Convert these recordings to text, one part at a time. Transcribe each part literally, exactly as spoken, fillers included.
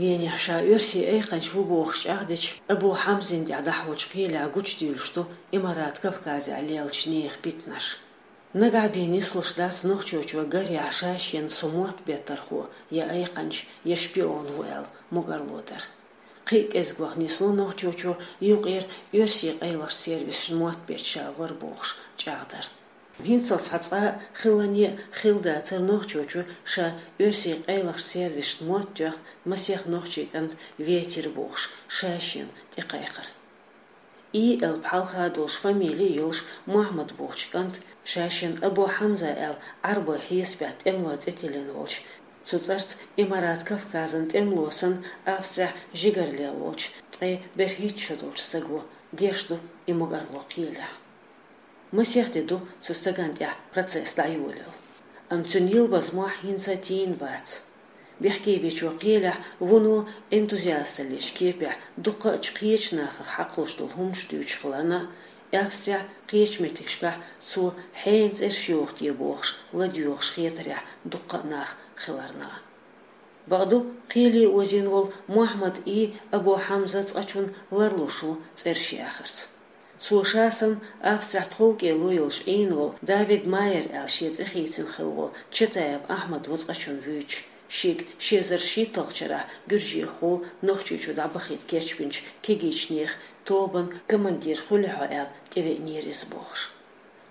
Венехь ша оьрсийн айкханча ву бохуш чӀагӀдечу Абу Хьамзина тӀехь дӀахьочу кхелехь гучудуьйлуш ду Имарат Кавказехь лелачу нехан питанаш. Нагахь бен нислуш дац нохчочо гарехь ша-шена со мотт беттархо, я айкханча, я шпион ву аьлла, могарло дар. Кхин а кӀезгох нисло нохчочо юкъера оьрсийн къайлахчу сервисашна мотт бетташ ша вара бохуш чӀагӀдар. ХӀинццалц цхьа цкъа а хилане а хилла дацара нохчочо ша оьрсийн къайлахчу сервисашна мотт тоьхна масех нохчийн кӀант ветира бохуш, ша-шена тӀекхайкхар. И элп хьалха долуш фамили а йолуш Мохьмад бохучу кӀанта ша-шена Абу Хьамза аьлла Ӏарбойн хьесапехь тӀемалойн цӀе тиллина волчу, цу цӀарца Имарат Кавказан тӀемало санна Австрехь жигарле волчу ткъе берхӀитта шо долчу стага деш ду и могарло кхелехь. Масех де ду цу стагана тӀехь процесс дӀайолаелла. Амма цуьнан йилбаза мохь хӀинца а тийна бац. Бехкевичо кхелехь вуно энтузиасталлечу кепехь дуккхаъчу кхечу нахах хьакхалуш долу хӀуманаш дуьйцуш хиларна а, Австрехь кхечу меттигашкахь цо хьенан цӀераш йоху те бохуш ладоьгӀуш хетарехь дуккха а нах хиларна а. Бакъду, кхеле озийна волу Мохьмад и Абу Хьамза цкъачунна ларлуш ву цӀераш яхарца. Цо ша санна Австрехь тховкӀело йолуш Ӏийна волу Давид Майер аьлла шен цӀе хийцина хилла волу Чатаев Ахьмад ву цкъачунна вуьйцуш, шега ши эзар шийтталгӀачу шарахь гуьржехула Нохчийчу дӀабахийта кечбинчу кегийчу нехан тобанан командир хуьлу хьо аьлла тӀевеанера иза бохуш.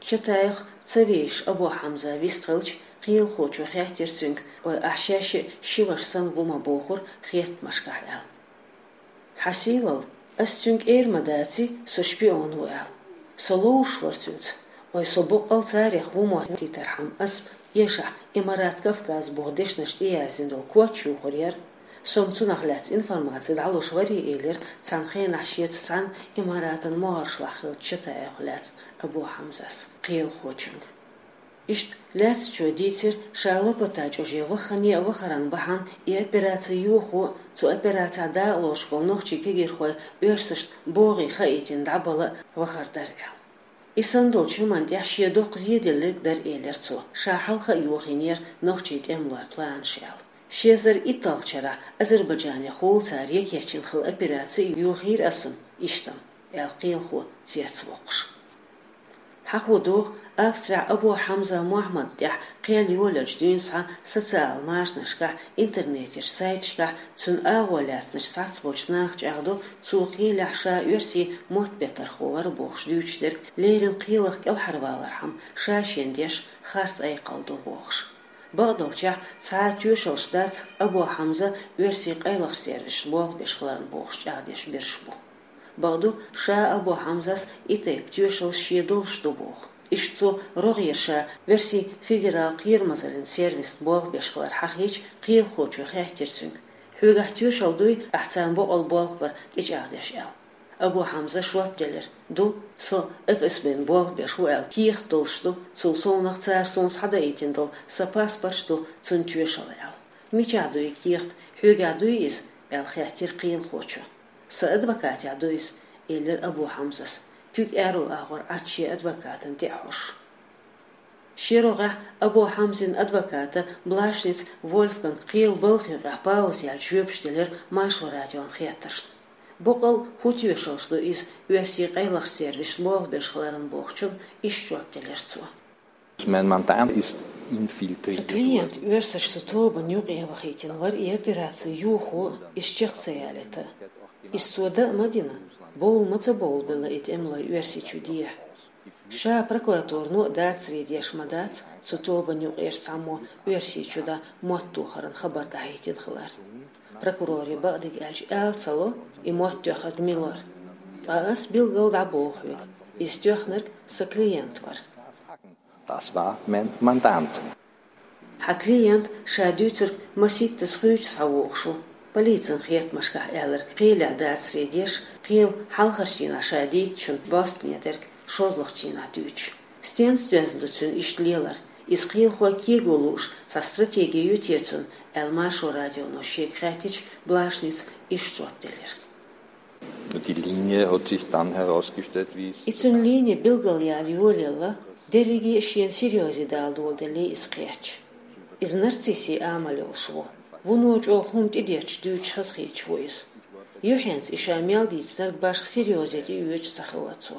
Чатаевх ца везаш Абу Хьамза вистхилча, кхелахочо хаьттира цуьнга, ой, ахь шаьш а ши ваша санна ву ма бохура хеттамашкахь аьлла. Хьан сийлалла, ас цуьнга эр ма даций, со шпион ву аьлла. Со ловзуш вара цуьнца. Ой, со боккъал царех ву моттийтархьама, ас, эшахь, Имарат Кавказ боху дешнаш тӀеяздина долу коч юхур яра. Со-м цунах лаьцна информаци дӀалуш варий, элира цхьана хенахь шеца цхьаьна Имаратан могӀаршлахь хиллачу Чатаевх лаьцна Абу Хьамзас кхелахочуьнга. Иштта лаьцначо дийцира, ша лапата чӀоже ваххане а вахаран бахьана и операци йохо а, цу операцехь дакъалоцуш болу нохчийн кегийрхой оьрсашна богӀий хаийтина дӀабала а вахар дара аьлла. И санна долчу хӀуманна тӀехь шен доккха зеделларг дара, элира цо, ша хьалха а йохийнера нохчийн тӀемалойн планаш аьлла. Ши эзар итталгӀачу шарахь Азербайджанехула цара екечйина хилла операци а йохийра ас-м, иштта-м, аьлла кхелахо цецвоккхуш. Хьахо догӀу, Австрехь Абу Хьамза Мохьмада тӀехь кхел йолаелчу дуьйна схьа социал машанашкахь, интернетера сайташкахь цуьнан агӀо лаьцначу схьацболчу наха чӀагӀдо, цо кхелехь ша оьрсийн мотт беттархо вара бохуш дуьйцуш дерг, леррина кхелах кӀелхьарвалархьама ша шена деш харц айкхалла ду бохуш. Бакъдолчехь, цхьа а тоьшаллаш дац Абу Хьамза оьрсийн къайлахчу сервисашна болх беш хиларна бохуш чӀагӀдеш берш бу. Бакъду, ша Абу Хьамзас и тайпа тоьшаллаш шен долуш ду боху. Иштта цо рогӀера ша оьрсийн федерал кхерамазаллин сервисна болх беш хилар хьахийча, кхелахочо хаьттира цуьнга: «Хьоьгахь тоьшалла дуй, ахь царна боккъал болх бар?» — тӀечӀагӀдеш аьлла. Абу Хьамзас жоп делира: «Ду, со ФСБ-на болх беш ву аьлла кехат долуш ду, цул совнаха цара суна схьадаийтина долу сан паспорташ ду цунна тоьшалла», — аьлла. «Мичахь ду и кехат, хьоьгахь дуй иза?» — аьлла хаьттира кхелахочо. «Сан адвокатехь ду иза», — элира Абу Хьамзас, куьг аьрру агӀор Ӏад шен адвокатана тӀе а хьожуш. Ши рогӀехь Абу Хьамзин адвоката Блашниц Вольфганга кхелан балха юкъахь пауза яьлча жоьпаш делира Маршо радион хеттаршна. Боккъал хӀун тоьшаллаш ду иза оьрсийн къайлахчу сервисашна болх беш хиларна бохучунна иштта жоп делира цо. Mein Mandant ist infiltriert worden. Сан клиент оьрсаша цу тобанна юкъа вахийтина вара и операци йохо а, иза чекх ца ялийта а. Иза цо дан а ма дина, бовла ма ца бовлабелла и тӀемалой Оьрсийчу дехьа. Ша прокуратурано а дацаре деш ма дац цу тобанна юкъера цхьаммо Оьрсийчу дӀа мотт тохаран хабар дӀахӀиттина хилар. Прокуроре бакъдерг аьлча, ала ца ло и мотт тоьхнарг мила вара. Ткъа ас билггал дӀабоху хьоьга: иза тоьхнарг сан клиент вара. Das war mein Mandant. Хьан клиент ша дуьйцург масийттаза хуьйцу схьавогӀуш ву. Полицин хеттамашкахь аьлларг кхелехь дацаре деш, кхелан хьалхарчу дийнахь ша дийцичунна бостане дерг шозлагӀчу дийнахь дуьйцуш. Стенца доьзна ду цуьнан иштта лелар? Иза кхелахой кего лууш цхьа стратеги ю те цуьнан, аьлла Маршо радионо шега хаьттича, Блашница иштта жоп делира. Die Linie hat sich dann herausgestellt, wie es И цуьнан лини билгалъяла йолаелла, дерриге а шена серьёзе дала доладеллий иза кхечча. Иза нарциссийн амал йолуш ву. Вуно чӀоагӀа хӀума тӀедетташ дуьйцуш хазахеташ ву иза. Юххьанца и ша мел дийцинарг башха серьёза тӀеоьцуш ца хилла цо.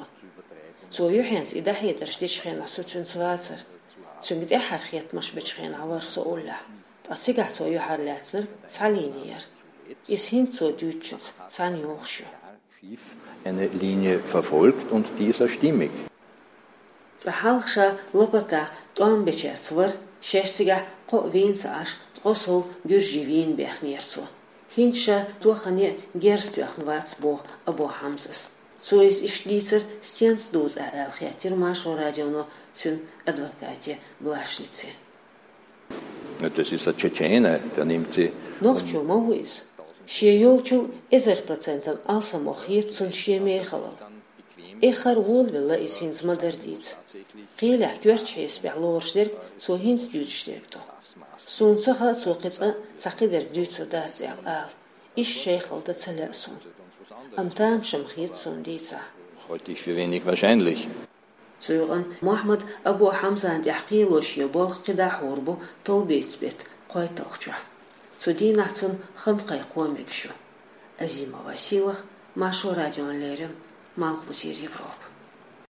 Цо юххьанца и дӀахьедарш дечу хенахь со цуьнца вацара. Цуьнга тӀаьххьара хеттамаш бечу хенахь вара со уллехь. Ткъа цигахь цо юьхьарлаьцнарг цхьа лини яра. Иза хӀинца цо дуьйцучуьнца цхьаьна йогӀуш ю. Schiff eine Linie verfolgt und die ist auch stimmig. Цкъа хьалха ша лапатах тӀом бечаьрца вара, шаьш цигахь кхоъ вийна ца Ӏаш, ткъо сов гуьржий вийна баьхнера цо. ХӀинца ша тохане герз тоьхна вац, боху Абу Хьамзас. Цо иза иштта дийцар стенца дузу ахь аьлла, хаьттира Маршо радионо цуьнан адвокате Блашнице. Das ist ein Tschetschene, der nimmt sie. Нохчо ма ву иза. Шен йолчул эзар процентан алсамох хета цунна шен мехалал. Эххар волавелла иза хӀинца ма-дарра дийца. Кхелехь коьртачу хьесапехь лоруш дерг цо хӀинца дуьйцуш дерг ду. Суна ца хаьа, цо кхин цкъа а цхьа кхидерг дуьйцур дац аьлла ала. Иштта шайхалла дан ца лаьа суна. Амма тамашам хета суна дийцахь. Halte ich für wenig wahrscheinlich. Цу юкъана Мохьмад Абу Хьамзана тӀехь кхело шен болх кхидӀа хьур бу товбеца беттан кхойтталгӀачохь. Цу дийнахь цунна хан-кхайкхо мегаш ю. Азима Василах, Маршо радиона леррина, Малхбузера Европа.